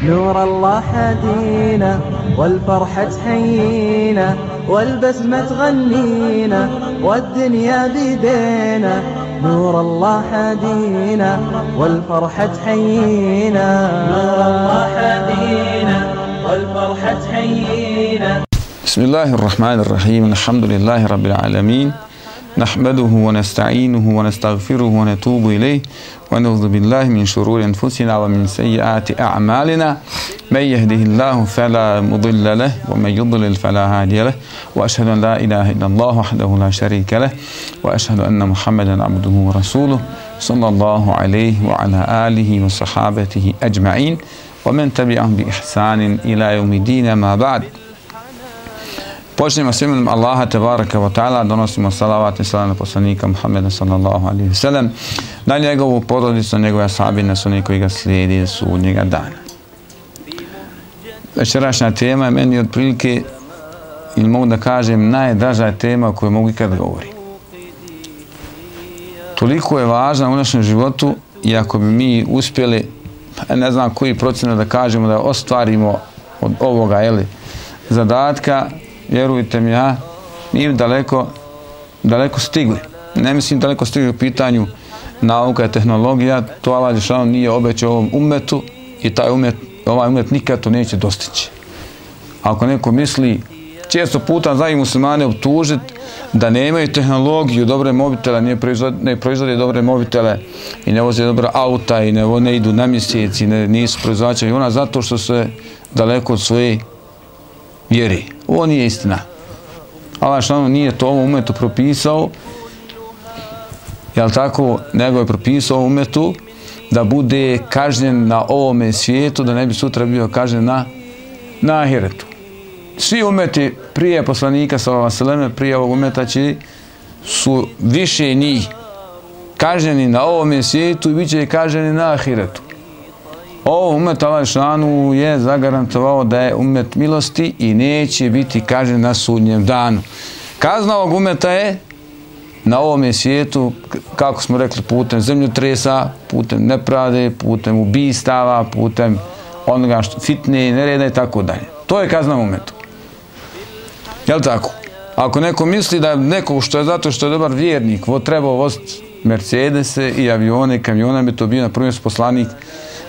نور الله هدينا والفرحة تحيينا والبسمة تغنينا والدنيا بيدينا نور الله هدينا والفرحة تحيينا نور الله هدينا والفرحة تحيينا. بسم الله الرحمن الرحيم. الحمد لله رب العالمين، نحمده ونستعينه ونستغفره ونتوب إليه ونعوذ بالله من شرور أنفسنا ومن سيئات أعمالنا، من يهده الله فلا مضل له ومن يضلل فلا هادي له، وأشهد أن لا إله إلا الله وحده لا شريك له، وأشهد أن محمدا عبده ورسوله صلى الله عليه وعلى آله وصحابته أجمعين ومن تبعهم بإحسان إلى يوم الدين. ما بعد. Počnemo s imenom Allaha tebaraka wa ta'ala, donosimo salavat i salam na poslanika Muhammeda sallallahu alaihi wa sallam, na njegovu porodicu, njegove ashabi, na oni koji ga slijedi do sudnjega dana. Večerašnja tema je meni otprilike, ili mogu da kažem, najdraža tema o kojoj mogu ikad govoriti. Toliko je važna u našem životu i ako bi mi uspjeli, ne znam koji procenat da kažemo, da ostvarimo od ovoga zadatka, vjerujte mi, mi daleko stigli. Ne mislim daleko stigli u pitanju nauka i tehnologija, to Allah dželešanu nije obećao ovom ummetu i ovaj ummet nikad to neće dostići. Ako neko misli, često puta znaju muslimane optužiti da nemaju tehnologiju, dobre mobitele, ne proizvode dobre mobitele i ne voze dobra auta i ne idu na mjesec i nisu proizvođači aviona zato što se daleko od svoje vjeri. Ovo nije istina. Allah dželešanu nije to ovom ummetu propisao, jel tako, nego je propisao ovom ummetu da bude kažnjen na ovome svijetu, da ne bi sutra bio kažnjen na ahiretu. Svi ummeti prije poslanika sallallahu alejhi ve selleme, prije ovog ummeta su više njih kažnjeni na ovome svijetu i bit će kažnjeni na ahiretu. Ovo ummet Allah dželešanu je zagarantovao da je ummet milosti i neće biti kažnjen na sudnjem danu. Kazna ovog ummeta je na ovome svijetu, kako smo rekli, putem zemljotresa, putem nepravde, putem ubistava, putem onoga fitne, nereda i tako dalje. To je kazna ummetu. Jel' tako? Ako neko misli da neko što je zato što je dobar vjernik trebao voziti Mercedese i avione i kamione, bi to bio na prvom poslanik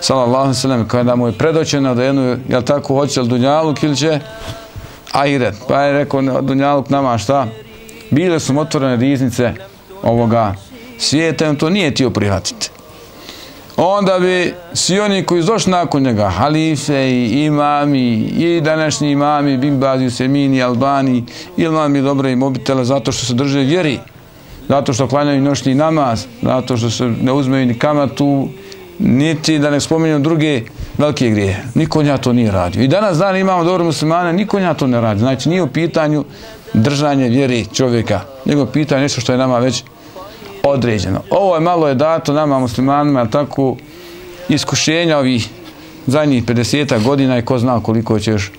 sallallahu alejhi ve sellem, kada mu je predočeno da jednu, jel' tako, hoće li dunjaluk ili će ahiret. Pa je rekao, dunjaluk nama šta? Bile su otvorene riznice ovoga svijeta i on to nije htio prihvatiti. Onda bi svi oni koji su došli nakon njega, halife i imami i današnji imami, Bin Baz, Usemini, Albani, imami dobre i mobitele zato što se drže vjeri, zato što klanjaju noćni namaz, zato što se ne uzmeju ni kamatu, niti da ne spominju druge velike grijehe. Niko nja to nije radio. I danas dan imamo dobre muslimane, niko nja to ne radi. Znači nije u pitanju držanje vjeri čovjeka, nego pitanje nešto što je nama već određeno. Ovo je malo dato nama muslimanima, tako iskušenja ovih zadnjih 50 godina i ko zna koliko će još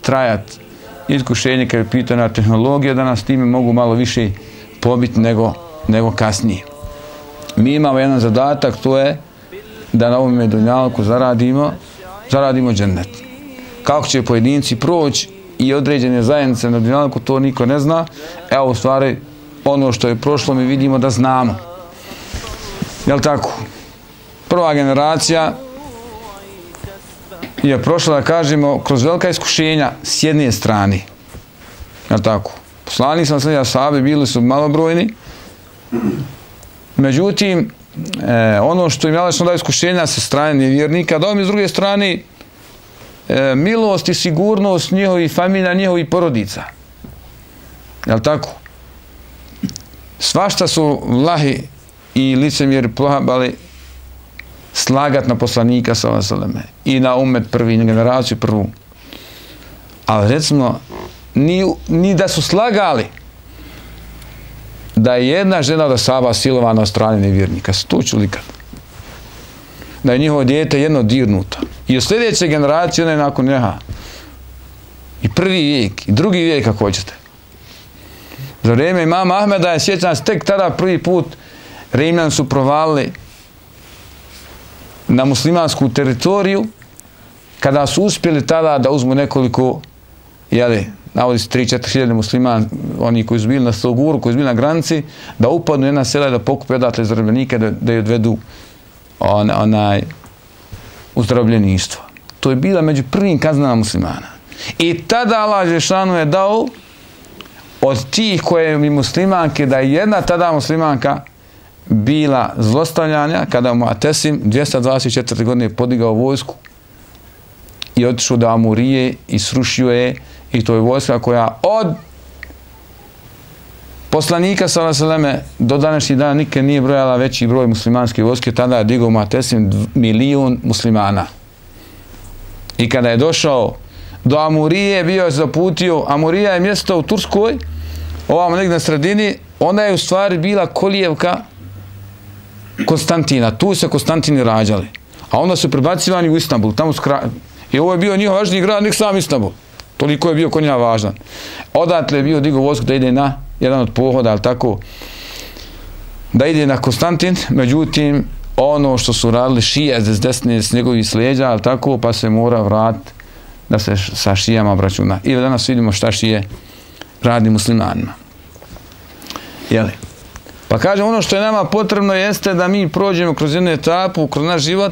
trajat iskušenje kad je pitanja tehnologija, da nas time mogu malo više pobiti nego kasnije. Mi imamo jedan zadatak, to je da na ovome dunjalku zaradimo džennet. Kako će pojedinci proći i određene zajednice na dunjalku, to niko ne zna. Evo, u stvari, ono što je prošlo mi vidimo da znamo. Jel' tako? Prva generacija je prošla, da kažemo, kroz velika iskušenja s jedne strane. Jel' tako? Poslanik sallallahu alejhi ve sellem, ashabi bili su malobrojni. Međutim, ono što im je Allah dao iskušenja sa strane nevjernika, dao mi s druge strane milost i sigurnost njihovih familija, njihovih porodica. Jel' tako? Svašta su vlahi i licemjeri probali slagat na poslanika sallallahu alejhi ve selleme i na ummet prvi, na generaciju prvu. Ali recimo, ni da su slagali da je jedna žena od ashaba silovana od strane nevjernika. To ću likad. Da je njihovo dijete jedno dirnuto. I u sljedeće generacije, one nakon njeha. I prvi vijek, i drugi vijek, ako hoćete. Za vrijeme imama Ahmeda je, sjećam se, tek tada prvi put Rimljani su provalili na muslimansku teritoriju, kada su uspjeli tada da uzmu nekoliko, navodi se 3-4 hiljade muslimana, oni koji su bili na Stoguru, koji su bili na granici, da upadnu jedna sela i da pokupe odatle zarobljenike, da je odvedu u zarobljeništvo. To je bila među prvim kaznama muslimana. I tada Allah Žešanu je dao od tih koje mi muslimanke, da je jedna tada muslimanka bila zlostavljanja, kada mu Atesim 224. godine podigao vojsku i otišao do Amurije i srušio je, i to je vojska koja od poslanika s.a.v. do današnjih dana nikad nije brojala veći broj muslimanske vojske, tada je digao Mu'tasim 1 milion muslimana. I kada je došao do Amurije, bio je zaputio, Amurija je mjesto u Turskoj, ovamo negdje na sredini, onda je u stvari bila kolijevka Konstantina, tu se Konstantini rađali, a onda su prebacivani u Istanbul, tamo su i ovo je bio njihov važniji grad, nek sam Istanbul, toliko je bio kod njega važan. Odatle je bio digao vojsku da ide na jedan od pohoda, ali tako, da ide na Konstantin, međutim, ono što su radili šije s desne, s njegovih slijeđa, ali tako, pa se mora vratiti da se sa šijama obračuna. I danas vidimo šta šije radi muslimanima. Jeli? Pa kažem, ono što je nama potrebno jeste da mi prođemo kroz jednu etapu, kroz naš život,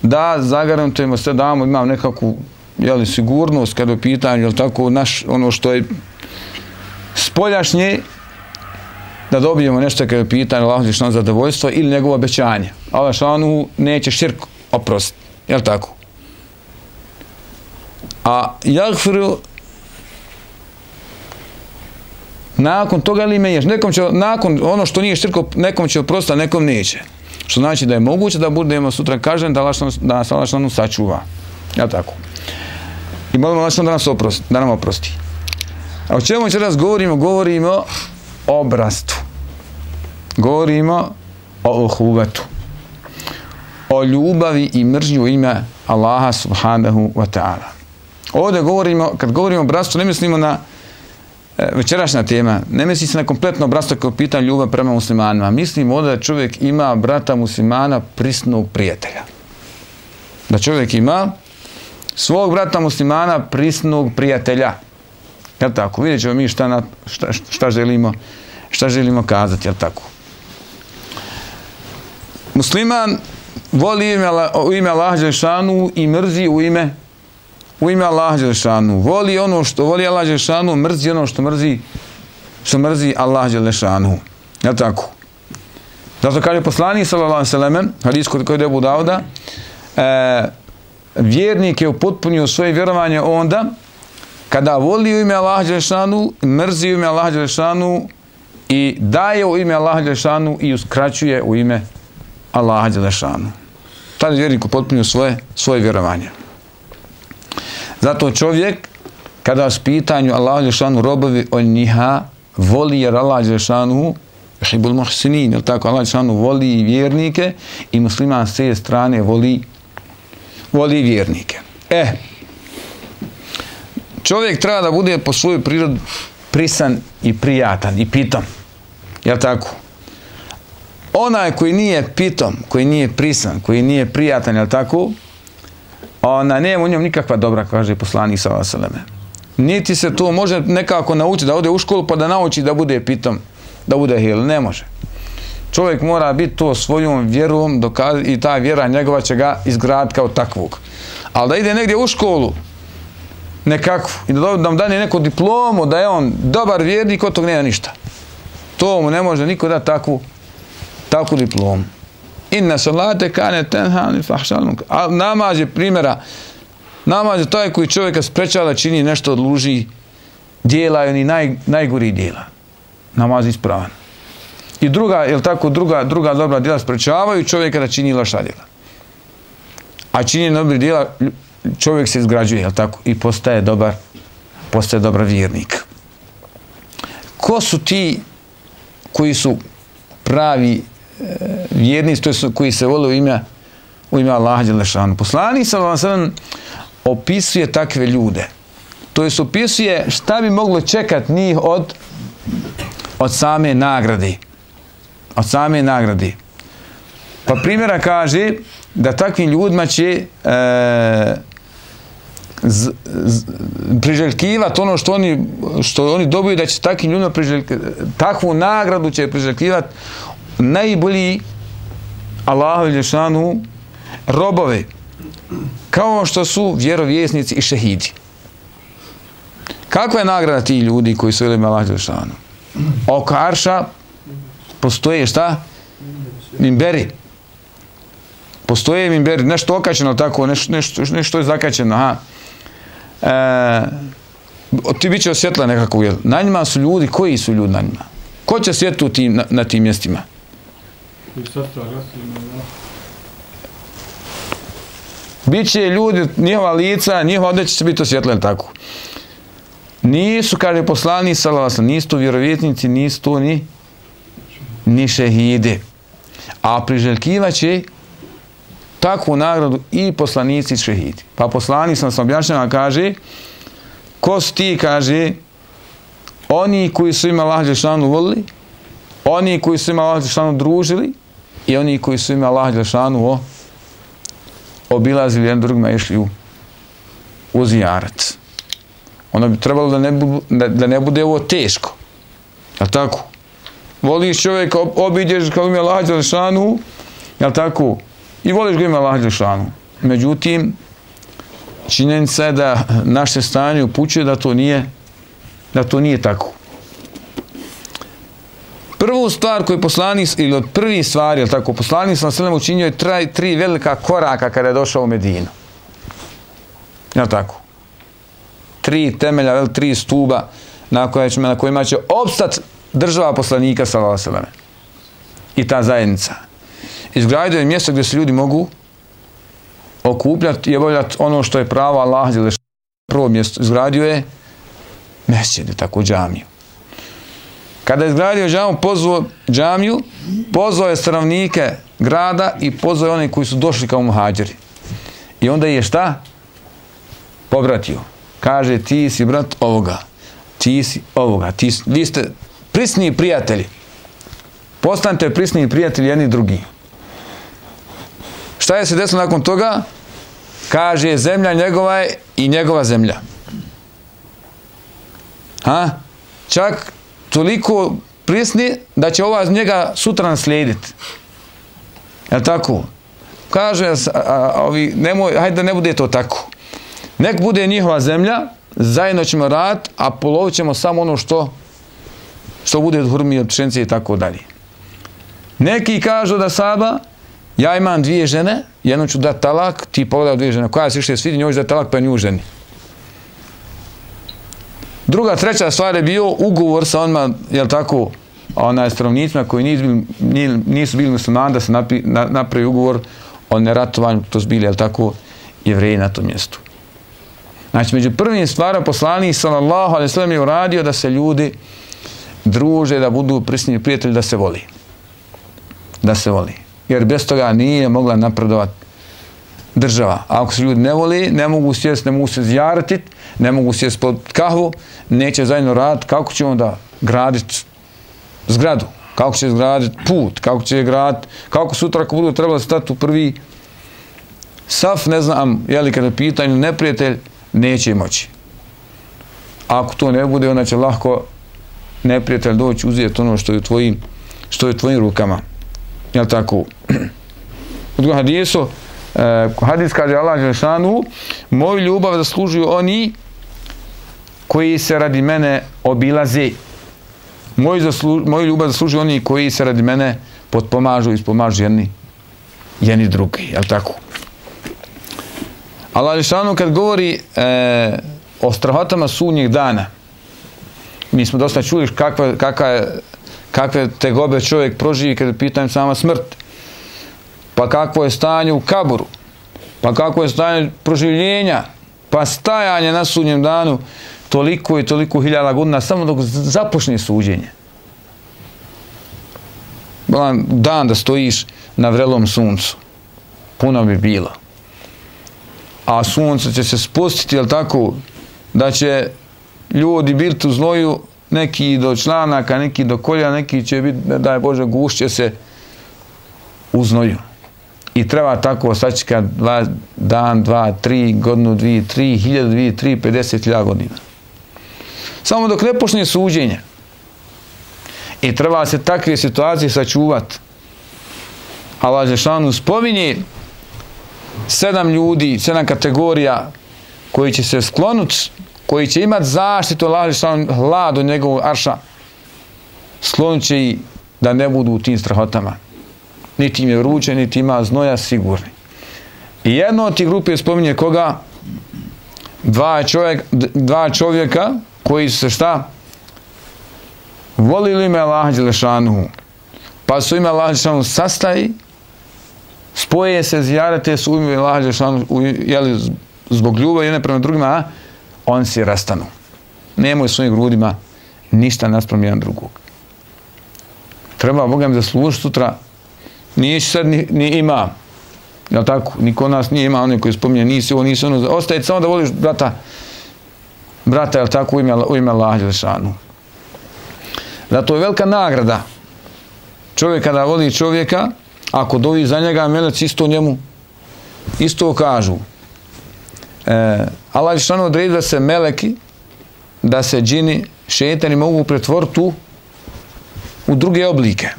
da zagarantujemo sve, da imamo nekakvu sigurnost kada je u pitanju, jel tako, ono što je spoljašnje, da dobijemo nešto kada je u pitanju Allahu dželešanu zadovoljstvo ili njegovo obećanje. Allah dželešanu neće širk oprostiti, jel tako? A jagfiru nakon toga ili menjaš, nekom će, nakon ono što nije širko, nekom će oprostiti, a nekom neće. Što znači da je moguće da budemo sutra kažen da nas Allah dželešanu sačuva. Jel tako? I molimo Allah dželešanu da nam oprosti. A o čemu će raz govorimo? Govorimo o bratstvu. Govorimo o uhuvetu. O ljubavi i mržnji u ime Allaha subhanahu wa ta'ala. Ovdje govorimo, kad govorimo o bratstvu, ne mislimo na večerašnja tema, ne misli se na kompletno bratstvo kao pitanje ljubav prema muslimanima. Mislimo ovdje da čovjek ima brata muslimana prisnog prijatelja. Da čovjek ima svog brata muslimana prisnog prijatelja. Jel' tako? Vidjet ćemo mi šta želimo kazati, jel' tako? Musliman voli u ime Allaha dželešanu i mrzi u ime Allaha dželešanu. Voli ono što voli Allaha dželešanu, mrzi ono što mrzi Allaha dželešanu. Jel' tako? Zato kaže poslanik sallallahu alejhi ve sellem, hadis koji je Abu Dauda, vjernik je upotpunio svoje vjerovanje onda kada voli u ime Allaha dželešanu, mrzi u ime Allaha dželešanu i daje u ime Allaha dželešanu i uskraćuje u ime Allaha dželešanu. Tada je vjernik upotpunio svoje vjerovanje. Zato čovjek, kada s pitanju Allaha dželešanu robovi, on njiha voli, jer Allaha dželešanu yuhibbul muhsinin, jer tako Allaha dželešanu voli vjernike i musliman s te strane voli vjernike. Čovjek treba da bude po svojoj prirodi prisan i prijatan i pitom. Jel' tako? Onaj koji nije pitom, koji nije prisan, koji nije prijatan, jel' tako? Nema u njom nikakva dobra, kaže poslanik sallallahu alejhi ve sellem. Niti se to može nekako naučiti, da ode u školu pa da nauči da bude pitom, da bude hil. Ne može. Čovjek mora biti to svojom vjerom i ta vjera njegova će ga izgraditi kao takvog. Ali da ide negdje u školu, nekakvu, i da nam dane neku diplomu, da je on dobar vjernik, od tog nema ništa. To mu ne može niko dati takvu diplomu. Inna salate kane tenha anil fahšal munkar. A namaz je primjera, namaz je taj koji čovjeka sprečava da čini nešto od luži dijela i oni najgori dijela. Namaz je ispravan. I druga, jel tako, druga dobra djela sprečavaju čovjeka da čini loša djela. A činjenje dobrih djela čovjek se izgrađuje, jel tako, i postaje dobar vjernik. Ko su ti koji su pravi vjernici, to su koji se vole u ime Allaha dželešanu? Poslanik sallallahu alejhi ve sellem opisuje takve ljude. To jest opisuje šta bi moglo čekati njih od same nagrade. Od same nagrade. Pa primjera kaže da takvim ljudima će priželjkivati ono što oni dobiju, da će takvim ljudima takvu nagradu će priželjkivati najbolji Allahu dželešanu robove, kao što su vjerovjesnici i šehidi. Kakva je nagrada tih ljudi koji su velimi Allahu dželešanu? Oko arša postoje šta? Mimberi. Postoje mimberi, nešto okačeno tako, nešto je zakačeno. Ti bit će osvjetla nekako. Na njima su ljudi, koji su ljudi na njima? Ko će svjetlu na tim mjestima? Biće ljudi, njihova lica, njihova odjeća će biti osvjetljena tako. Nisu, kaže poslanik sallallahu alejhi ve sellem, nisu tu vjerovjesnici, nisu tu ni šehide. A priželjkivaće takvu nagradu i poslanici i šehidi. Pa poslanik sam objašnjava, kaže, ko su ti, kaže, oni koji su ima Allah dželešanu volili, oni koji su ima Allah dželešanu družili i oni koji su ima Allah dželešanu obilazili jedan drugima i išli u zijarat. Ono bi trebalo da ne bude ovo teško. Jel' tako? Voliš čovjeka, obiđeš kao ima Allah dželešanu, jel' tako? I voliš ga ima Allah dželešanu. Međutim, činjenica je da naše stanje upućuje da to nije tako. Prvu stvar koju poslanik, ili od prvih stvari, jel' tako, poslanik sallallahu alejhi ve sellem učinio je tri velika koraka kada je došao u Medinu. Jel' tako? 3 temelja, 3 stuba na kojima će opstati država poslanika sallallahu alejhi ve sellem i ta zajednica. Izgradio je mjesto gdje se ljudi mogu okupljati i obavljati ono što je pravo Allah dželešanu. Prvo mjesto izgradio je mesdžid, tako džamiju. Kada je izgradio džamiju, pozvao je stanovnike grada i pozvao je one koji su došli kao muhadžiri. I onda je šta? Pobratio. Kaže, ti si brat ovoga, ti si ovoga, vi ste prisni prijatelji. Postanite prisni prijatelji jedni drugi. Šta je se desilo nakon toga? Kaže, zemlja njegova je i njegova zemlja. Čak toliko prisni da će ova njega sutra naslijediti. Je li tako? Kaže, hajde da ne bude to tako. Nek bude njihova zemlja, zajedno ćemo raditi, a polovit ćemo samo ono što bude od hurmi, od pšenice i tako dalje. Neki kažu da Saba, ja imam 2 žene, jednom ću dati talak, ti pogledaj 2 žene, koja se više svidi, njoj ću dati talak pa nju ženi. Druga, treća stvar je bio ugovor sa onima, jel tako, stanovnicima koji nisu bili muslimani, da se napravi ugovor o neratovanju, to su bili, jel tako, Jevreji na tom mjestu. Znači, među prvim stvarima poslanik sallallahu alejhi ve sellem je uradio da se ljudi druže, da budu prisni prijatelji, da se voli. Da se voli. Jer bez toga nije mogla napredovati država. A ako se ljudi ne voli, ne mogu sjesti, ne mogu se zjaratiti, ne mogu sjesti pod kahvu, neće zajedno raditi, kako će onda graditi zgradu, kako će graditi put, kako će graditi, kako sutra ako budu trebali stati u prvi saf, ne znam, je li kada pitanju neprijatelj, neće moći. Ako to ne bude, onda će lahko neprijatelj doći uzeti ono što je u tvojim rukama. Jel' tako? U drugom hadisu, hadis kaže Allah dželešanu, moju ljubav zaslužuju oni koji se radi mene obilaze. Moju ljubav zaslužuju oni koji se radi mene potpomažu i ispomažu jedni drugi. Jel' tako? Allah dželešanu kad govori o strahotama sudnjeg dana, mi smo dosta čuli kakve tegobe čovjek proživi kada pitam sama smrt, pa kakvo je stanje u kaburu, pa kakvo je stanje proživljenja, pa stajanje na sudnjem danu toliko i toliko hiljada godina samo dok započne suđenje. Dan da stojiš na vrelom suncu, puno bi bilo. A sunce će se spustiti, jel' tako, da će ljudi biti u znoju, neki do članaka, neki do kolja, neki će biti, daj Bože, gušće se u znoju. I treba tako sačekati dan, 2, 3, godinu, 2, 3, 1000, 2, 3, 50.000 godina. Samo dok ne počne suđenje. I treba se takve situacije sačuvati. Allah Đelešanu spominje 7 ljudi, 7 kategorija koji će se sklonuti, koji će imati zaštitu Allah Đelešanu, hlad od njegovog arša. Sklonut će i da ne budu u tim strahotama. Niti im je vruće, niti ima znoja, sigurni. I jedno od tih grupe spominje koga? Dva čovjeka koji su se šta? Volili ime Allaha Đelešanuhu. Pa su ime Allaha Đelešanuhu sastaji, spoje se, zijarete su u ime Allaha Đelešanuhu, jeli, zbog ljubavi jedne prema drugima, a oni se rastanu. Nemoj svojim grudima ništa naspram jedan drugog. Treba Boga mi zaslužiti sutra. Nije sad ni ima. Jel tako? Niko od nas nije ima one koji spominje nisi ovo, nisi ono. Ostaje samo da voliš brata, jel tako, u ime Allaha Đelešanu. Zato je velika nagrada čovjek kada voli čovjeka, ako dovi za njega, meleci isto njemu isto kažu. Allah Đelešanu odredi da se meleki, da se džini, šejtani mogu pretvoriti u druge oblike.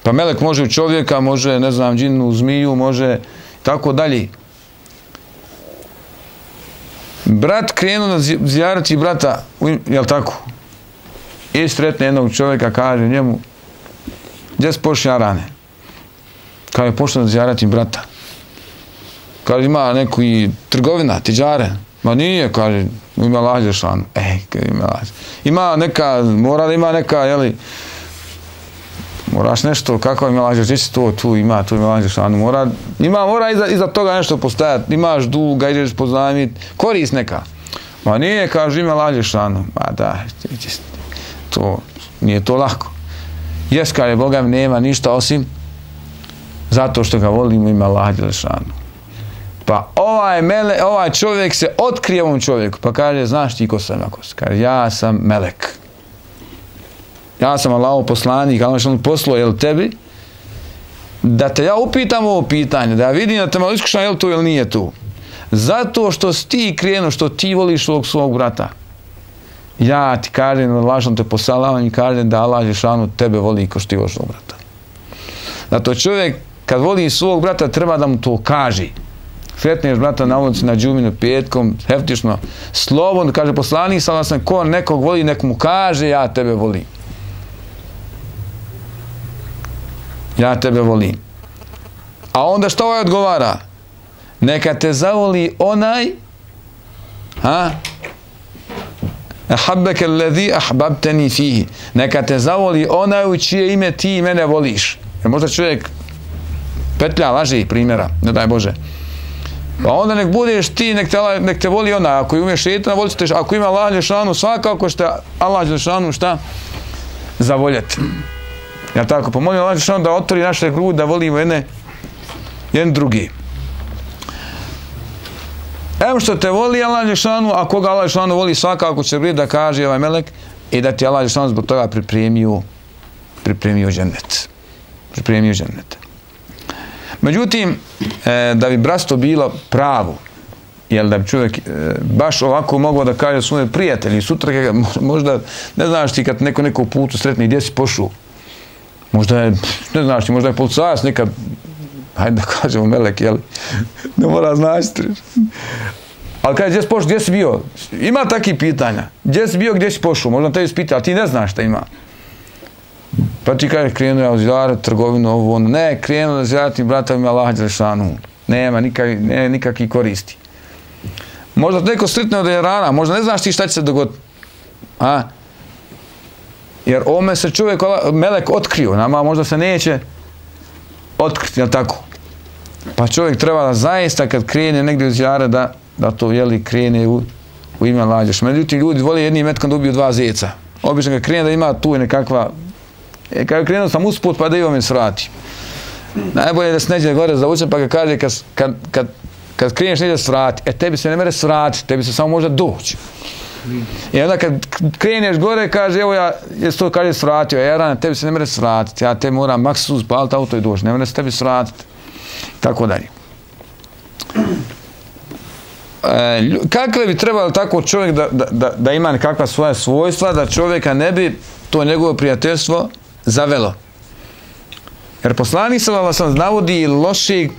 Pa melek može u čovjeka, može, ne znam, džinu u zmiju, može tako dalje. Brat krenuo da zijarati brata, jel tako? I sretne jednog čovjeka, kaže njemu, gdje si pošli Arane? Kaže, pošli da zijarati brata. Kaže, ima neku i trgovina, tiđare. Ma nije, kaže, ima Allaha Đelešanu. Ima neka, mora da ima neka, jeli, moraš nešto, kako ima Allaha Đelešanu, tu ima Allaha Đelešanu, mora iza toga nešto postajati, imaš duga, ideš pozajmit, korist neka. Ma nije, kaže, ima Allaha Đelešanu. Ma da, to, nije to lako. Jes, kaže, Boga mi nema ništa osim zato što ga volimo, ima Allaha Đelešanu. Pa ovaj čovjek se otkrije ovom čovjeku, pa kaže, znaš ti ko sam? Kaže, ja sam melek. Ja sam Allahov poslanik, Allah što on poslao, jel tebi, da te ja upitam ovo pitanje, da ja vidim da te malo iskušam, jel to ili nije tu. Zato što si ti krenuo, što ti voliš ovog svog brata. Ja ti kažem, Allah što te posalavam i kažem da Allah Đelešanu tebe voli ko što ti voliš svog brata. Zato čovjek, kad voli svog brata, treba da mu to kaže. Sretneš brata na ulici, na džuminu, petkom, heftično, slobodno, kaže poslanik, sam ko nekog voli, nek mu kaže, ja tebe volim. Ja tebe volim. A onda što ovaj odgovara? Neka te zavoli onaj, ahabbeke alladhi ahbabtani fihi. Neka te zavoli onaj u čije ime ti mene voliš. Jer možda čovjek petlja, laži primjera, ne daj Bože. Pa onda nek budeš ti, nek te voli onaj. Ako umiješ šejtana, volit ćete, ako ima Allah Đelešanu, svakako što Allah Đelešanu šta? Zavoljeti. Ja tako, pomolim Allah Đelešanu da otvori naše grudi, da volimo jedan drugi. Evo što te voli Allah Đelešanu, a koga Allah Đelešanu voli, svakako će biti da kaže ovaj melek i da ti Allah Đelešanu zbog toga pripremio džennet. Pripremio džennet. Međutim, da bi bratstvo bilo pravo, jel da bi čovjek baš ovako mogao da kaže svoje prijatelji, sutra možda, ne znaš ti kad neko putu sretni gdje si pošao, možda je, ne znaš ti, možda je policajac nekad, hajde da kažemo melek, jel, ne mora značiti. Ali kaže, gdje si pošao, gdje si bio? Ima takvih pitanja. Gdje si bio, gdje si pošao? Možda tebi spita, ali ti ne znaš šta ima. Pa ti kaže, krenuo ja u zijaret, trgovinu, ovo, ono. Ne, krenuo da zijaratim bratovima Allaha Đelešanu. Nema nikakvih koristi. Možda neko sretne od rana, možda ne znaš ti šta će se dogoditi. Jer ovome se čovjek, melek otkrio, nama možda se neće otkriti, jel tako? Pa čovjek treba da zaista kad krene negdje u zijaret da to, jeli, krene u ime Allaha Đelešanu. Međutim, ljudi vole jednim metkom da ubiju 2 zeca. Obično kad krene da ima tu i nekakva. Kad krenuo sam usput pa da imam svrati. Najbolje je da se neđe gore zavučem pa ga kaže kad kreneš neđe svrati, tebi se ne mere svrati, tebi se samo može doći. I onda kad kreneš gore kaže evo ja jes to kaže svratio, tebi se ne mere svratiti, ja te moram maksimum spaliti auto i doći, ne mere se tebi svratiti. tako dalje. Kakve bi trebalo tako čovjek da ima nekakva svoja svojstva, da čovjeka ne bi to njegovo prijateljstvo zavelo. Jer poslanik sallallahu alejhi ve sellem navodi loših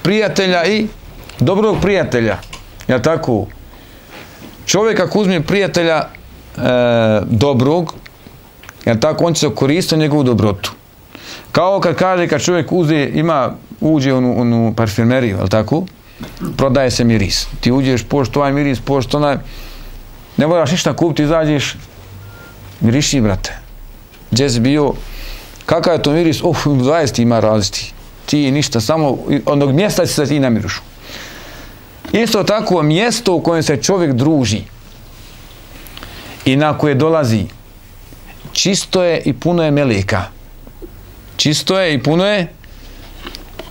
prijatelja i dobrog prijatelja. Ja tako, čovjek ako uzme prijatelja dobrog, ja tako, on će se koristiti njegovu dobrotu. Kao kad kaže, kad čovjek uđe u parfumeriju, je tako? Prodaje se miris. Ti uđeš, pošto ovaj miris, pošto onaj, ne moraš ništa kupiti, izađeš, miriši, brate. Gdje si bio, kakav je to miris? 20 ima različiti. Ti ništa, samo onog mjesta će se ti namirušu. Isto tako, mjesto u kojem se čovjek druži i na koje dolazi, čisto je i puno je meleka. Čisto je i puno je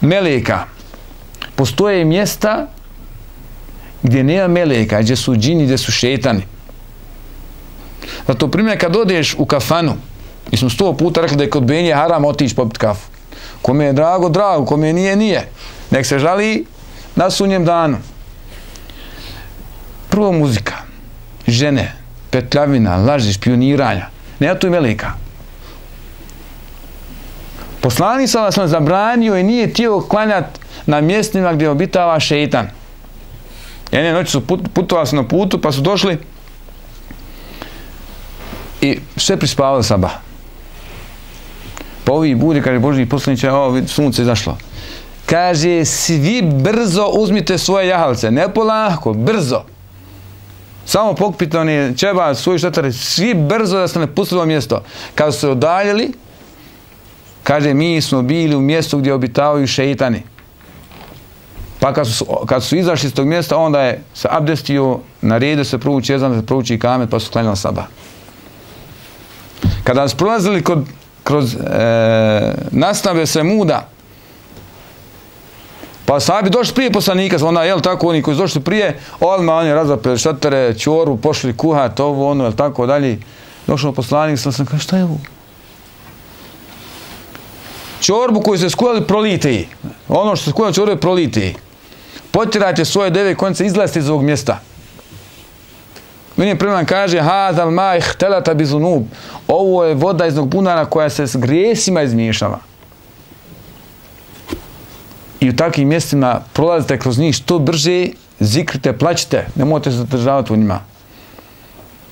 meleka. Postoje mjesta gdje nema meleka, gdje su džini, gdje su šetani. Zato primjer, kad odeš u kafanu, mi smo 100 puta rekli da je kod Benije haram otići popiti kafu. Kome je drago, drago, kome nije, nije. Nek se žali na sunjem danu. Prvo muzika, žene, petljavina, laži, špioniranja. Nema tu i meleka. Poslanik sallallahu alejhi ve sellem zabranio i nije htio klanjati na mjestima gdje obitava šeitan. Jedne noći su putovali na putu, pa su došli i sve prispavali sabah. Pa ovi budi, kaže Božji poslaniče, sunce izašlo. Kaže, svi brzo uzmite svoje jahalce, ne polako, brzo. Samo pokupite oni čeba, svoji štatare, svi brzo da se ne pustili u mjesto. Kad su se udaljili, kaže, mi smo bili u mjestu gdje obitavaju šeitani. Pa kad su izašli iz tog mjesta, onda je se abdestio, naredio se prouči ezan, da se prouči kamet, pa su klanjali sabah. Kada su prolazili kroz nastave Semuda, pa sahabi došli prije poslanika, onda, jel tako, oni koji su došli prije, odmah oni razapeli šatare, čoru, pošli kuhat, ovo, ono, jel tako, dalje. Došao poslanik, sam kaže, šta je ovo? Čorbu koju se skuvali, prolite ji. Ono što se skuvali čorbu, prolite ji. Potjerajte svoje deve konce, izlazite iz ovog mjesta. Vidim preman kaže, hadal ma ihtelata bizunub. Ovo je voda iz bunara koja se s grijesima izmiješala. I u takvim mjestima prolazite kroz njih što brže, zikrite, plaćite, nemojte se zadržavati u njima.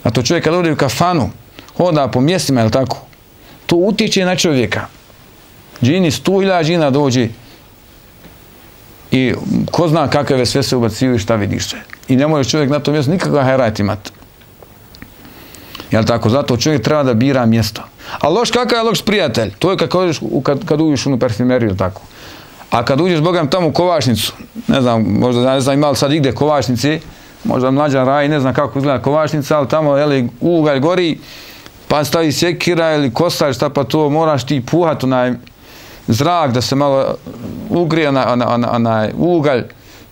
A to čovjek kad ode u kafanu, hoda po mjestima, je li tako? To utječe na čovjeka. Džini, 100.000 džina dođe i ko zna kakve sve se ubaciju i šta vidiš sve. I ne može čovjek na tom mjestu nikakav hajrat imati. Jel tako? Zato čovjek treba da bira mjesto. A loš, kakav je loš prijatelj? To je kad uđeš u parfumeriju, jel tako? A kad uđeš, Bogam, tamo u kovačnicu, ne znam, možda ne znam imali sad igde kovačnici, možda mlađa raj, ne znam kako izgleda kovačnica, ali tamo, jel, ugalj gori, pa stavi sjekira ili kosač, šta pa to, moraš ti puhati onaj zrak da se malo ugrije onaj ugalj,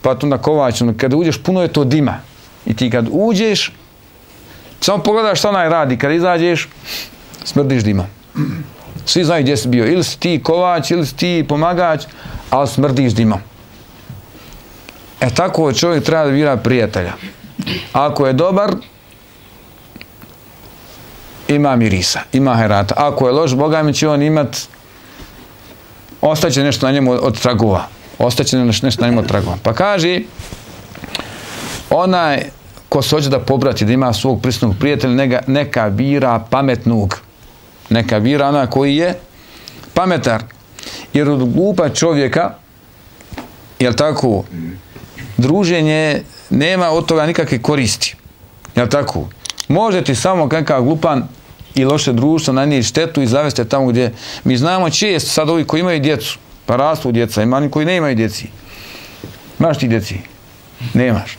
pa tu na kovačnu. Kada uđeš, puno je to dima. I ti kad uđeš, samo pogledaš šta onaj radi. Kada izađeš, smrdiš dima. Svi znaju gdje si bio. Ili si ti kovač, ili si ti pomagač, ali smrdiš dimom. Tako čovjek treba da bira prijatelja. Ako je dobar, ima mirisa, ima herata. Ako je loš, Boga mi će on imat, ostaće nešto na njemu od tragova. Ostaće nešto na njemu od tragova. Pa kaže, onaj ko se hoće da pobrati, da ima svog prisnog prijatelja, neka bira pametnog. Neka bira ona koji je pametar. Jer od glupa čovjeka, jel tako, druženje nema od toga nikakve koristi. Jel tako? Može ti samo kakav glupan i loše društvo nanijeti štetu i zavesti tamo gdje mi znamo često sad ovi koji imaju djecu, pa rastu djeca, ima oni koji ne imaju djeci. Imaš ti djeci? Nemaš.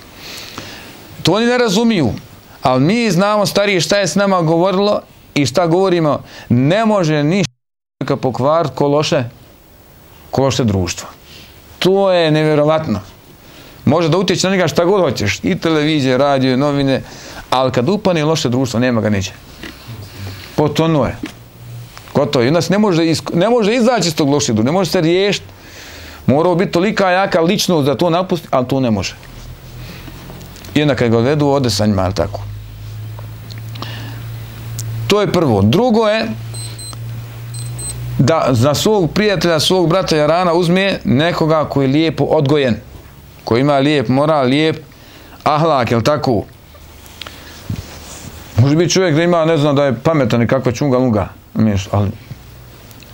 To oni ne razumiju, ali mi znamo starije šta je s nama govorilo i šta govorimo. Ne može ništa pokvariti ko loše društvo. To je nevjerovatno. Može da utječe na njega šta god hoćeš, i televizije, radio, novine, ali kad upane loše društvo, nema ga neće. Potonuo je. Gotovo. I onda se ne može izaći iz tog lošeg društva, ne može se riješiti. Morao biti tolika jaka ličnost da to napusti, ali to ne može. I onda kad ga odvedu, ode sa njima, ali tako. To je prvo. Drugo je da za svog prijatelja, svog brata jarana uzme nekoga koji je lijepo odgojen, koji ima lijep moral, lijep ahlak, jel tako? Može biti čovjek da ima, ne znam, da je pametan i kakva čunga lunga, ali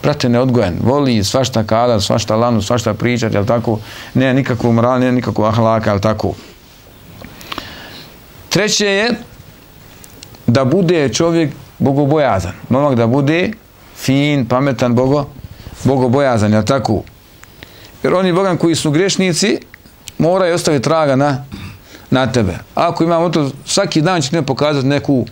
brate neodgojen, voli svašta kada, svašta lanu, svašta pričati, jel tako? Nema nikakvu moral, nema nikakvu ahlaka, jel tako? Treće je da bude čovjek bogobojazan. Momak da bude fin, pametan, bogobojazan, jel tako? Jer oni bogan koji su grešnici moraju ostaviti traga na tebe. Ako imamo to, svaki dan će ti pokazati neku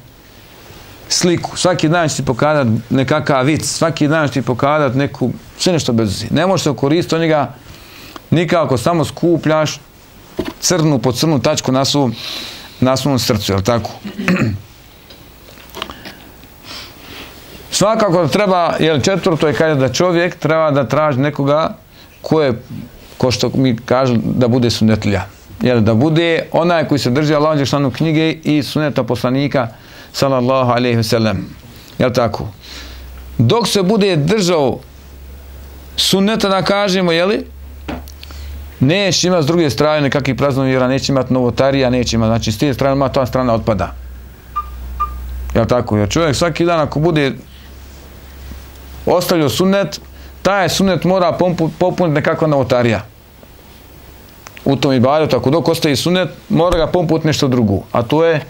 sliku, svaki dan će ti pokazati nekakav vic, svaki dan će ti pokazati neku, sve nešto bez veze. Ne možeš se koristiti od njega nikako, samo skupljaš crnu po crnu tačku na svom srcu, jel tako? Svakako da treba, jel, četvrto je kaže da čovjek treba da traži nekoga ko što mi kažu da bude sunnetlija. Jel, da bude onaj koji se drži Allahove dželešanu knjige i sunneta poslanika sallallahu alejhi ve sellem. Jel tako? Dok se bude držao sunneta, da kažemo, jeli, neće imati s druge strane nekakvih praznovjera, neće imati novotarija, neće imati, znači s te strane ta strana otpada. Jel tako? Jer čovjek svaki dan ako bude ostavljao sunnet, taj sunnet mora popuniti nekakva novotarija. U tom ibadetu, ako dok ostaje sunnet, mora ga popuniti nešto drugo. A to je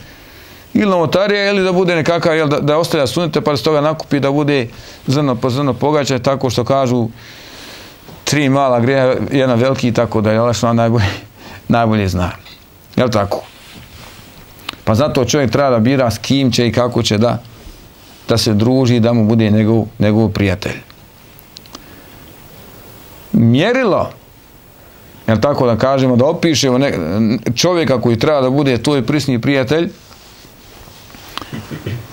ili novotarija, ili da bude nekakav, jel, da ostavlja sunnete, pa se toga nakupi da bude zrno po zrno pogađaj, tako što kažu 3 mala greha, jedan veliki, tako da je Allah najbolje zna. Jel tako? Pa zato čovjek treba da bira s kim će i kako će da se druži, da mu bude njegov prijatelj. Mjerilo, jel tako da kažemo, da opišemo čovjeka koji treba da bude tvoj prisni prijatelj,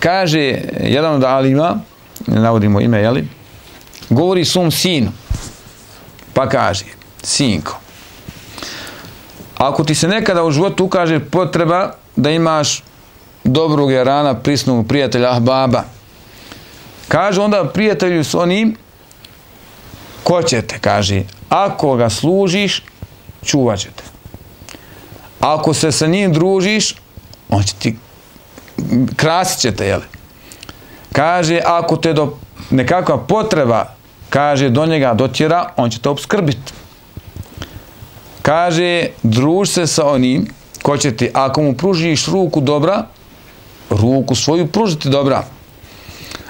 kaže jedan od alima, ne navodimo ime, jeli, govori svom sinu, pa kaže, sinko, ako ti se nekada u životu ukaže potreba da imaš dobrog jarana, prisnog prijatelja, ahbaba, kaže onda prijatelju s onim ko će te, kaže, ako ga služiš, čuvat će te. Ako se sa njim družiš, on će ti krasit će te, jel? Kaže, ako te do nekakva potreba, kaže, do njega dotjera, on će te opskrbiti. Kaže, druž se sa onim ko će ti, ako mu pružiš ruku dobra, ruku svoju pružiti dobra.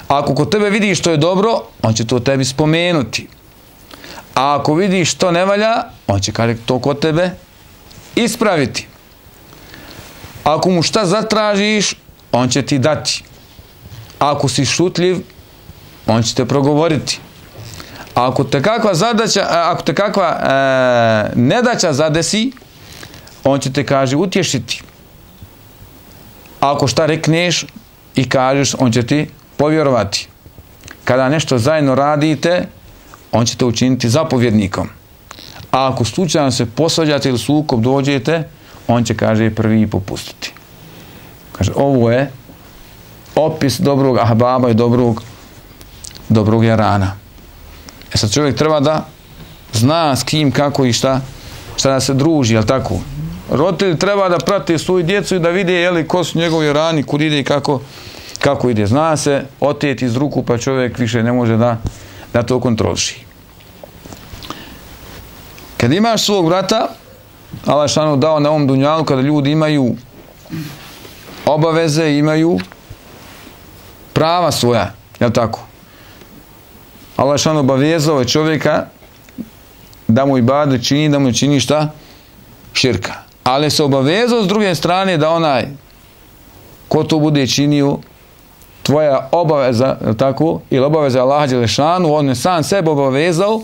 Ako kod tebe vidiš što je dobro, on će to tebi spomenuti. A ako vidiš što ne valja, on će, kaže, to kod tebe ispraviti. Ako mu šta zatražiš, on će ti dati. Ako si šutljiv, on će te progovoriti. Ako te kakva zadaća, ako te kakva nedaća zadesi, on će te, kaže, utješiti. Ako šta rekneš i kažeš, on će ti povjerovati. Kada nešto zajedno radite, on će te učiniti zapovjednikom. A ako slučajno se posvađate ili sukob dođete, on će, kaže, prvi popustiti. Kaže, ovo je opis dobrog ahbaba i dobrog jarana. E sad čovjek treba da zna s kim, kako i šta da se druži, jel tako? Roditelji treba da prate svoju djecu i da vide, jeli, ko su njegovi jarani, kud ide i kako ide. Zna se oteti iz ruku, pa čovjek više ne može da to kontroliši. Kad imaš svog brata, Allah šanu dao na ovom dunjalu, kada ljudi imaju obaveze, imaju prava svoja, jel tako? Allah šanu obavezao je čovjeka da mu ibadet čini, da mu čini šta? Širka. Ali se obavezao s druge strane da onaj ko to bude činio, tvoja obaveza, jel tako? Ili obaveza Allaha dželešanu, on je sam sebe obavezao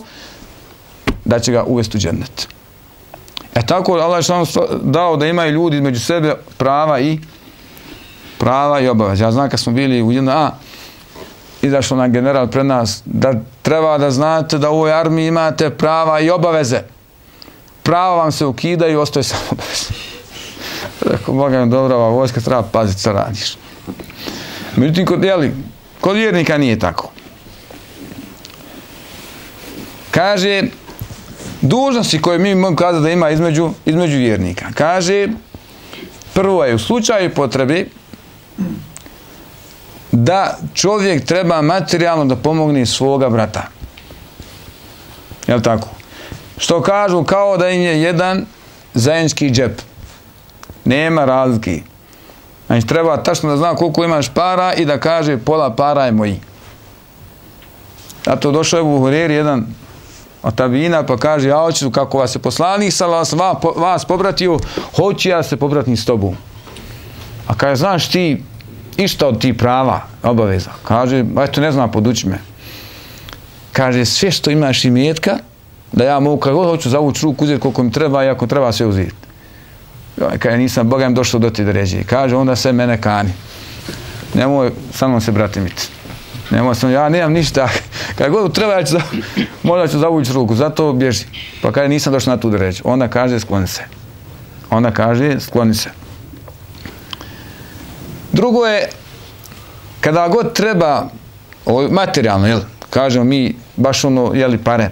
da će ga uvesti u džennet. E tako Allah je dao da imaju ljudi između sebe prava i obaveze. Ja znam kad smo bili u JNA, izašao nam general pred nas da treba da znate da u ovoj armiji imate prava i obaveze. prava vam se ukidaju, ostaje samo obaveza. Rekao, Boga mi dobra, ova vojska treba paziti što radiš. Međutim, kod vjernika nije tako. Kaže, dužnosti koje mi možemo kazati da ima između vjernika. Kaže, prvo je u slučaju potrebe da čovjek treba materijalno da pomogne svoga brata. Jel' tako? Što kažu, kao da im je jedan zajednički džep. Nema razlike. Znači, treba tačno da zna koliko imaš para i da kaže pola para je moji. Zato došao je u Hureri jedan od tabina pa kaže, ja hoću kako vas je poslanik vas pobratio, hoću ja se pobratim s tobom. A kaže, znaš ti išta od ti prava, obaveza? Kaže, eto ne znam, poduči me. Kaže, sve što imaš imetka, da ja mogu kako hoću zavući ruku, uzeti koliko mi treba i ako treba sve uzeti. Kaže, nisam, Boga im došao do ti da ređe. Kaže, onda sve mene kani. Nemoj sa mnom se bratimiti. Nemoj sam, ja nemam ništa. Kada god treba, ja ću možda ću zavući ruku, zato bježi. Pa kaže, nisam došao na tu da reći. Onda kaže, skloni se. Onda kaže, skloni se. Drugo je, kada god treba, materijalno, jel, kažemo mi, baš ono, jeli, pare,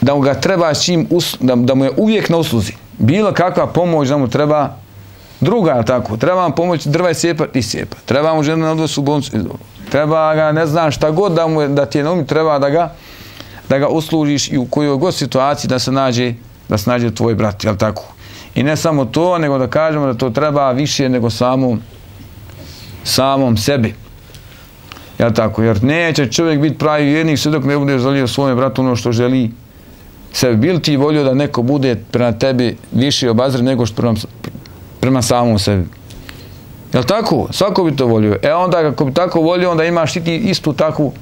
da mu ga treba s čim, da mu je uvijek na usluzi. Bilo kakva pomoć da mu treba, druga, tako, treba vam pomoć drva i sjepa. Treba mu žena na odvosu u bolnicu, treba ga, ne znam šta god da ti je na umu, treba da ga uslužiš i u kojoj god situaciji da se nađe tvoj brat, jel tako? I ne samo to, nego da kažemo da to treba više nego samom sebi. Jel tako? Jer neće čovjek biti pravi vjernik sve dok ne bude želio svome bratu ono što želi sebi. Bil ti volio da neko bude prema tebi više obazren nego što prema samom sebi? Jel tako? Svako bi to volio. Onda kako bi tako volio, onda imaš i ti istu takvu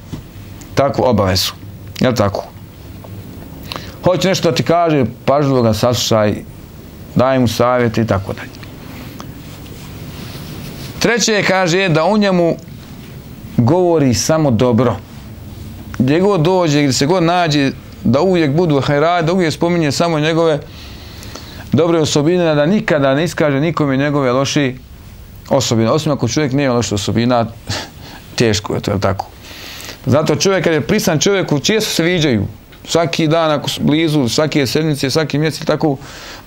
obavezu. Jel tako? Hoće nešto da ti kaže, pažljivo ga saslušaj, daj mu savjete i tako dalje. Treće kaže da u njemu govori samo dobro. Gdje god dođe, gdje se god nađe, da uvijek budu hajraj, da uvijek spominje samo njegove dobre osobine, da nikada ne iskaže nikome njegove loše osobine. Osim ako čovjek nije loša osobina, teško je to, je li tako? Zato čovjek, kad je prisan čovjeku, često se viđaju. Svaki dan, ako su blizu, svake sedmice, svaki mjesec, tako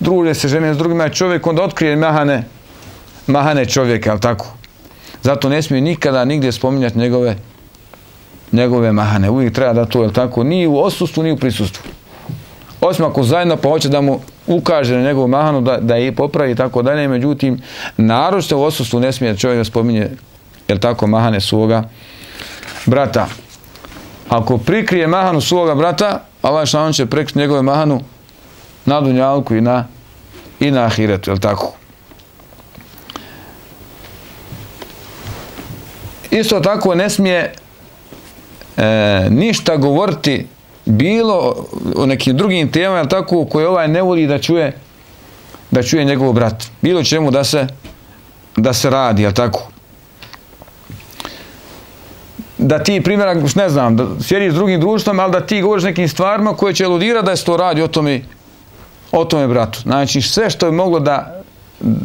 druže se žene s drugima, čovjek onda otkrije mahane čovjeka, je li tako? Zato ne smije nikada nigdje spominjati njegove mahane. Uvijek treba da to, je li tako? Ni u odsustvu, ni u prisustvu. Osim ako zajedno pa hoće da mu ukaže na njegovu mahanu, da je popravi i tako dalje, međutim, naročito u odsustvu ne smije čovjek da spominje, je li tako, mahane svoga brata. Ako prikrije mahanu svoga brata, Allah šalom će prekriti njegove mahanu na dunjalku i na ahiretu, je li tako? Isto tako ne smije ništa govoriti bilo o nekim drugim temama, je li tako, koje ovaj ne voli da čuje njegov brat. Bilo čemu da se radi, je li tako? Da ti, primjera, ne znam, da sjediš s drugim društvom, ali da ti govoriš nekim stvarima koje će eludirati da se to radi o tome bratu. Znači, sve što je moglo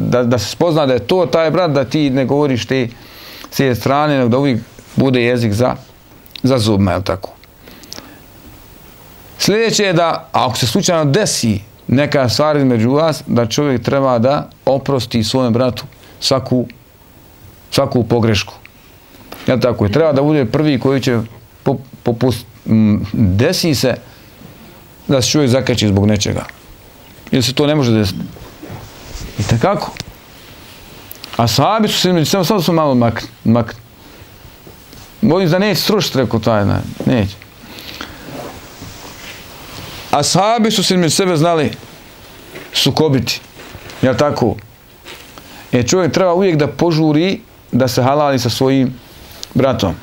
da se spozna da je to taj brat, da ti ne govoriš te s jedne strane, nego da uvijek bude jezik za zubima, je li tako? Sljedeće je da, ako se slučajno desi neka stvar između vas, da čovjek treba da oprosti svojem bratu svaku pogrešku. Jel tako? Treba da bude prvi koji će desi se da se čovjek zakači zbog nečega. Ili se to ne može desiti. I tako. A sahabi su se između sebe, sad su malo makni. Bojim da neće srušiti, rekao taj, neće. A sahabi su se između sebe znali sukobiti. Jel tako? Čovjek treba uvijek da požuri da se halali sa svojim bratom.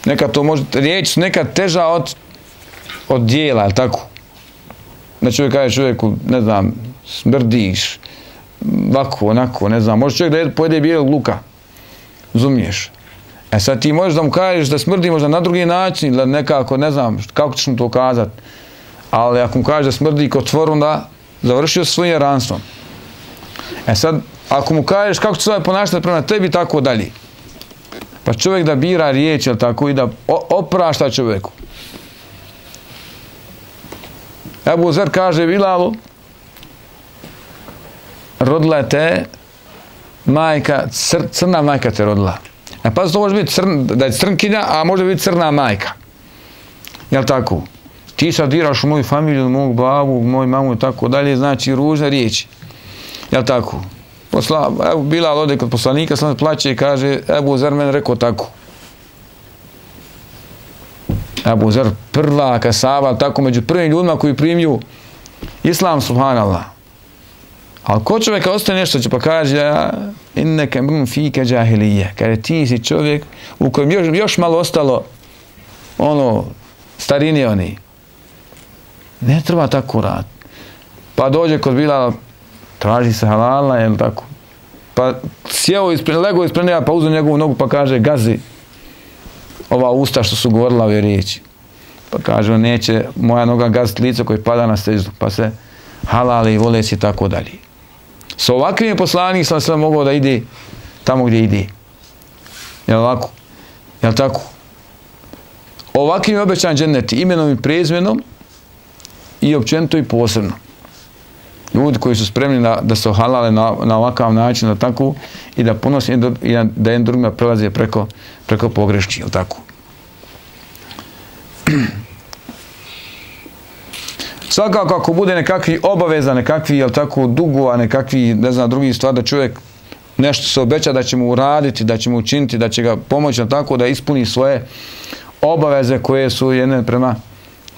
Nekad to može, riječ su nekad teža od dijela, jel tako? Da čovjek kaže čovjeku, ne znam, smrdiš, ovako, onako, ne znam, može čovjek da pojede bijelog luka, razumiješ? Sad ti možeš da mu kažeš da smrdi možda na drugi način, ili nekako, ne znam, kako ćeš mu to kazati, Ali ako mu kaže da smrdi kotvoru, onda završio svojim ranstvom. Sad, ako mu kažeš kako će se ponašati prema tebi, tako dalje. Pa čovjek da bira riječ, jel tako, i da oprašta čovjeku. Ebu Zer kaže Bilalu, rodila je te majka, crna majka te rodila. Pa to može biti da je crnkinja, a može biti crna majka. Jel tako? Ti sad diraš u moju familiju, mog babu, moju mamu i tako dalje, znači ružne riječi. Jel tako? Evo Bilal ode kod poslanika, sam plaće i kaže, Ebu Zer mene rekao tako. Ebu Zer prva kasaba, tako među prvim ljudima koji primju Islam, subhanallah. Ali ko čovjeka ostaje nešto će pa kaže, inneke mrum fike džahilije, kaže ti si čovjek u kojem još malo ostalo ono starini oni. Ne treba tako rad. Pa dođe kod Bilala, traži se halala, jel tako? Pa sjeo lego ispred njega, pa uzeo njegovu nogu, pa kaže, gazi ova usta što su govorila ove riječi. Pa kaže, neće moja noga gaziti lice koje pada na sejdu, pa se halali i voleci i tako dalje. Sa ovakvim poslanik sam sve mogao da ide tamo gdje ide. Jel ovako? Jel tako? Ovakvim je obećan džennet imenom i prezmenom i općenito i posebno. Ljudi koji su spremni da se halale na ovakav način, da tako, i da ponosi, i da jedan drugima prelaze preko pogreški, jel tako? Svakako ako bude nekakvi obaveza, nekakvi, jel tako, dugova, nekakvi, ne znam, drugi stvar, da čovjek nešto se obeća da će mu uraditi, da će mu učiniti, da će ga pomoći, jel tako, da ispuni svoje obaveze koje su jedne prema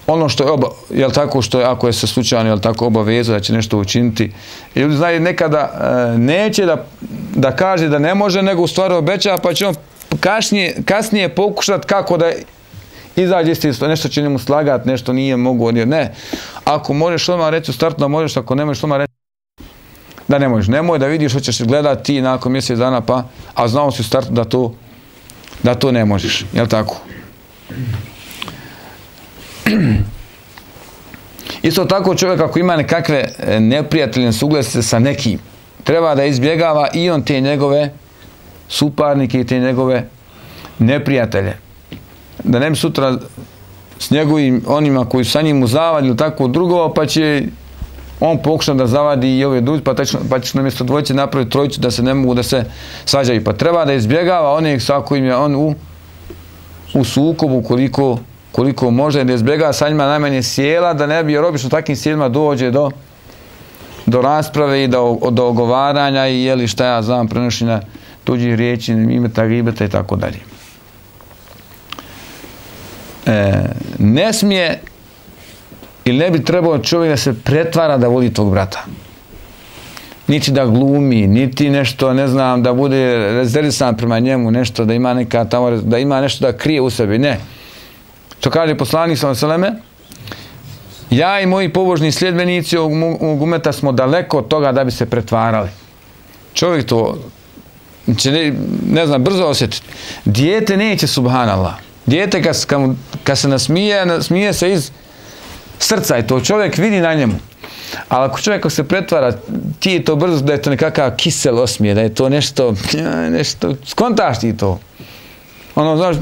ono što je, jel tako, što je, ako je se slučajno, jel tako, obaveza da će nešto učiniti. I ljudi znaju nekada neće da kaže da ne može, nego u stvari obeća, pa će on kasnije pokušati kako da izađe isto, nešto će njemu slagati, nešto nije mogu, ne. Ako možeš odmah reći u startu da možeš, ako ne možeš odmah reći da ne možeš. Nemoj da vidiš, hoćeš gledati ti nakon mjesec dana, pa, a znao si u startu da to ne možeš, jel tako? Isto tako čovjek ako ima nekakve neprijateljne suglasice sa nekim, treba da izbjegava i on te njegove suparnike i te njegove neprijatelje. Da ne bi sutra s njegovim onima koji su sa njim uzavadi ili tako drugo, pa će on pokušati da zavadi i ove drugi, pa će na mjesto dvojice napraviti trojicu da se ne mogu da se svađaju. Pa treba da izbjegava onih sa kojim je on u sukobu koliko može, da izbjegava sa njima najmanje sjela, da ne bi, jer obično takvim sjelima dođe do rasprave i do ogovaranja i jeli šta ja znam, prenošenja tuđih riječi, imeta, gibeta i tako dalje. Ne smije ili ne bi trebao čovjek da se pretvara da voli tog brata. Niti da glumi, niti nešto, ne znam, da bude rezervisan prema njemu, nešto, da ima neka tamo, da ima nešto da krije u sebi, ne. To kaže poslanik sallallahu alejhi ve selleme, ja i moji pobožni sljedbenici ovog umeta smo daleko od toga da bi se pretvarali. Čovjek to će, ne znam, brzo osjetiti. Dijete neće, subhanallah. Dijete kad se nasmije se iz srca i to čovjek vidi na njemu. Ali ako čovjek se pretvara, ti je to brzo da je to nekakav kisel osmije, da je to nešto, skontaš ti to. Ono, znaš,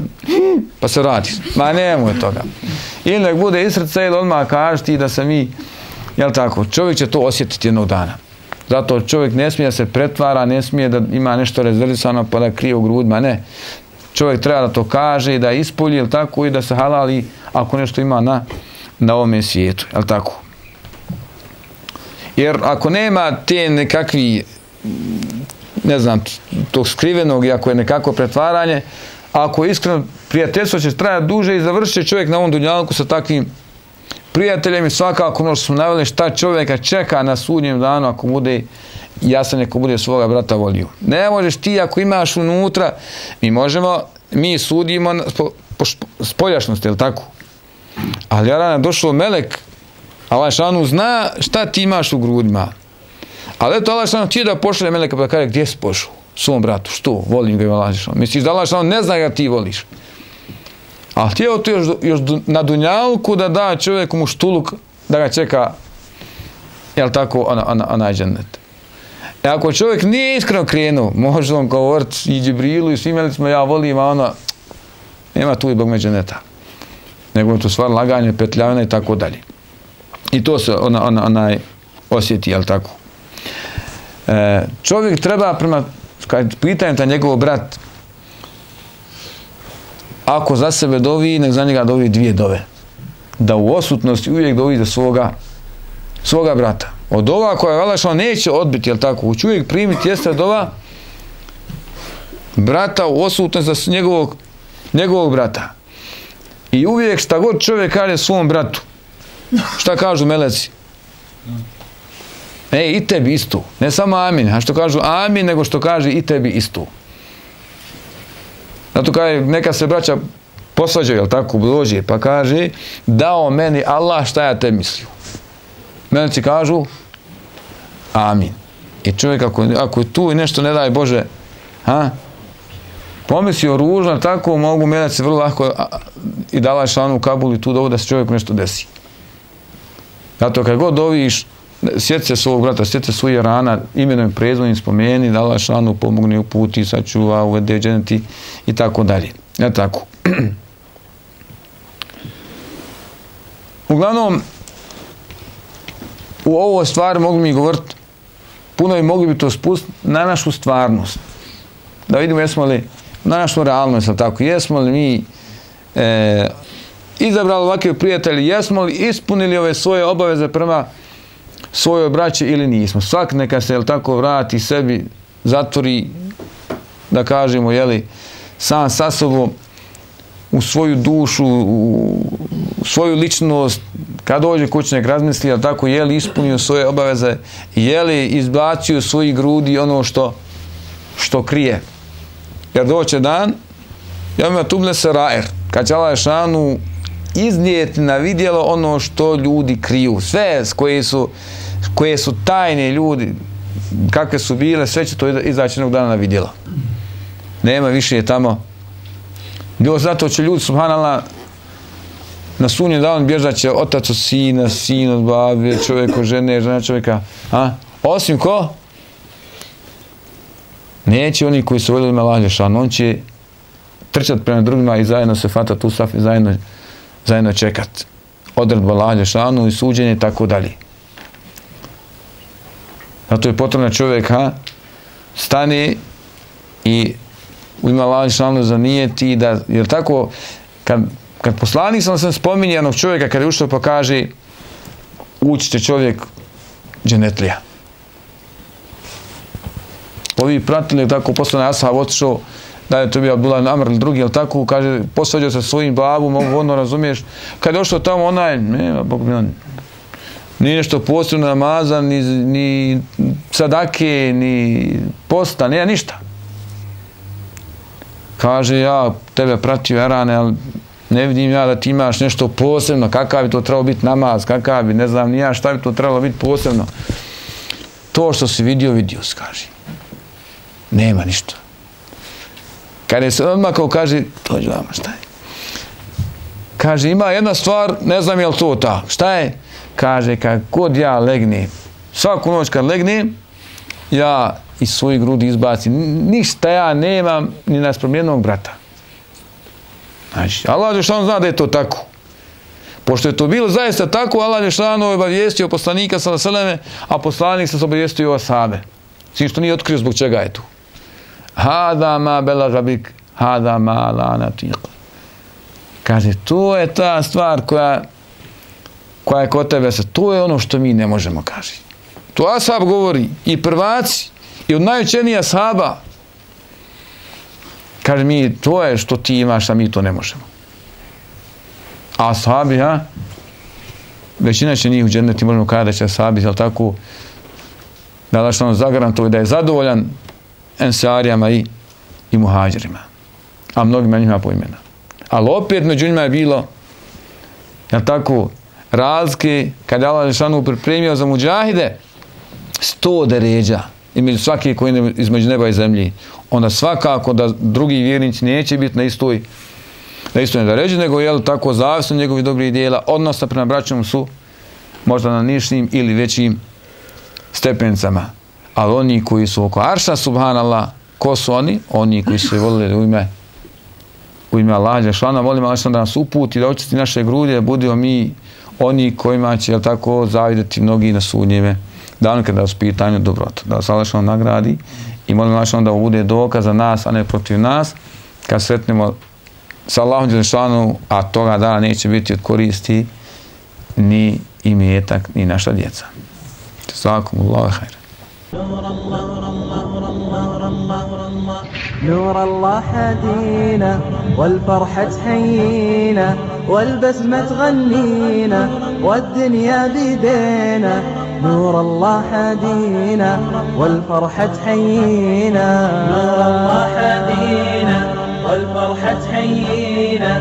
pa se vratiš. Ma nemoj toga. Ili nek bude iz srca ili odmah kaži ti da se mi, jel tako, čovjek će to osjetiti jednog dana. Zato čovjek ne smije da se pretvara, ne smije da ima nešto rezervisano pa da krije u grudima, ne. Čovjek treba da to kaže i da ispolji, jel tako, i da se halali ako nešto ima na ovome svijetu, jel tako. Jer ako nema te nekakvi, ne znam, tog skrivenog i ako je nekako pretvaranje, ako je iskreno prijateljstvo će trajati duže i završit će čovjek na ovom dunjalku sa takvim prijateljem i svakako ono što smo naveli šta čovjeka čeka na sudnjem danu ako bude jasan, ako bude svoga brata volio. Ne možeš ti ako imaš unutra, mi sudimo po spoljašnosti, je li tako? Ali jarana došao melek, Allah šanu zna šta ti imaš u grudima. Ali eto Allah šanu ti da pošle meleka pa kaže gdje si pošao? Svom bratu, što? Volim ga i Allah šanu. Misliš da Allah šanu ne zna ga ti voliš. A htio to još na dunjalku da da čovjeku muštuluk da ga čeka, jel tako, onaj džennet. E ako čovjek nije iskreno krenuo, može on govoriti i Džibrilu i svim melecima, ja volim, a ono, nema tu i Bog me dženneta. Nego je to stvar laganje, petljavina i tako dalje. I to se onaj osjeti, jel tako. Čovjek treba prema, kad pitanjem ta njegov brat, ako za sebe dovi, nek za njega dovi 2 dove. Da u odsutnosti uvijek dovi za svoga brata. Od ova koja Allah neće odbiti, jel tako, hoće uvijek primiti, jeste dova brata u odsutnosti za njegovog brata. I uvijek šta god čovjek kaže svom bratu, šta kažu meleci? I tebi isto. Ne samo amin, a što kažu amin, nego što kaže i tebi isto. Zato kaže, neka se braća posvađaju, jel tako, dođe, pa kaže, dao meni Allah šta ja te mislio. Meleci kažu, amin. I čovjek, ako je tu i nešto, ne daj Bože, pomislio ružno, tako mogu meleci vrlo lako i dala šanu u Kabul i tu dovo da se čovjeku nešto desi. Zato kad god doviš, sjeti se svog brata, sjeti se svojih rana, imenom i prezvonim spomeni, dala šanu, pomogne, uputi, sačuva, uvede dženeti i tako dalje. Ja tako. Uglavnom, u ovoj stvari mogli mi govoriti, puno i mogli bi to spustiti na našu stvarnost. Da vidimo jesmo li na našu realnost, tako, jesmo li mi izabrali ovakve prijatelji, jesmo li ispunili ove svoje obaveze prema svojoj braći ili nismo. Svak neka se, jel tako, vrati sebi, zatvori, da kažemo, jeli, sam sa sobom, u svoju dušu, u svoju ličnost, kad dođe kući nek razmisli, jel tako, je li ispunio svoje obaveze, je li izbacio svojih grudi ono što krije. Jer doće dan, ja ima tuble se raer, kad će Allah šanu iznijeti na vidjelo ono što ljudi kriju. Sve koje su tajne ljudi, kakve su bile, sve će to izaći jednog dana na vidjelo. Nema više tamo. Bilo zato će ljudi, subhanallah, na sudnjem danu bježat će otac od sina, sin od babe, čovjek od žene, žena čovjeka. Osim ko? Neće oni koji su voljeli Allah dželešanu, on će trčati prema drugima i zajedno se fatati u saf i zajedno čekat odredbu Allah dželešanu i suđenje i tako dalje. Zato je potrebno čovjek stane i u ime Allah dželešanu zanijeti da, jer tako, kad poslanik sam spominje jednog čovjeka, kad je ušao pa kaže ući će čovjek dženetlija. Ovi pratili, tako, poslanik ashab otišao, da je to bio Abdullah Amr ili drugi, ali tako, kaže, posvađao se svojim babom, ono razumiješ, kad je došao tamo onaj, nema, Bog mi on, nije nešto posebno namaza, ni sadake, ni posta, nema ništa. Kaže, ja tebe pratio Erane, ali ne vidim ja da ti imaš nešto posebno, kakav bi to trebalo biti namaz, kakav bi, ne znam ni ja šta bi to trebalo biti posebno. To što si vidio si, kaže. Nema ništa. Kad je se odmakao, kaže, dođi vama, šta je? Kaže, ima jedna stvar, ne znam je li to ta. Šta je? Kaže, kad god ja legnem, svaku noć kad legnem, ja iz svojih grudi izbacim. Ništa ja nemam ni naspram jednog brata. Znači, Allah dželešanu zna da je to tako. Pošto je to bilo zaista tako, Allah dželešanu je obavijestio poslanika sallallahu alejhi ve selleme, a poslanik se obavijestio o ashabe. Svim što nije otkrio zbog čega je tu. Hada ma belaga bik, hada ma la natiq. Kaže, to je ta stvar koja je kod tebe, to je ono što mi ne možemo, kaže. To ashab govori, i prvaci, i od najučenija ashaba. Kaže, mi, to je što ti imaš, a mi to ne možemo. A ashabi, većina će njih u dženneti, možemo kada da će ashabi, jel tako, da Allah što zagarantovao da je zadovoljan ensarijama i muhađirima. A mnogima njima po imena. Ali opet među njima je bilo, jel tako, razlike, kada je Allah Žešanu pripremio za muđahide 100 deređa između svake koji između neba i zemlji, onda svakako da drugi vjernici neće biti na istoj deređi, nego je tako zavisno njegovih dobrih dijela, odnosno prema braćom su možda na nižim ili većim stepencama. Ali oni koji su oko arša, subhanallah, ko su oni? Oni koji su volili u ime Allaha dželešana, volimo Allah da nas uputi, da očisti naše grudje, da budemo mi oni kojima će, jel tako, zavidjeti mnogi na sudnjeve danu kada su pitanju dobrota. Da vas Allah nagradi i molim Allah da bude dokaz za nas, a ne protiv nas, kad sretnemo sa Allahom dželešanu, a toga dana neće biti od koristi ni imetak, ni naša djeca. Jazakumullahu khairan. نور الله هدينا والفرحة تحيينا والبسمة تغنينا والدنيا بيدينا نور الله هدينا والفرحة تحيينا نور الله هدينا والفرحة تحيينا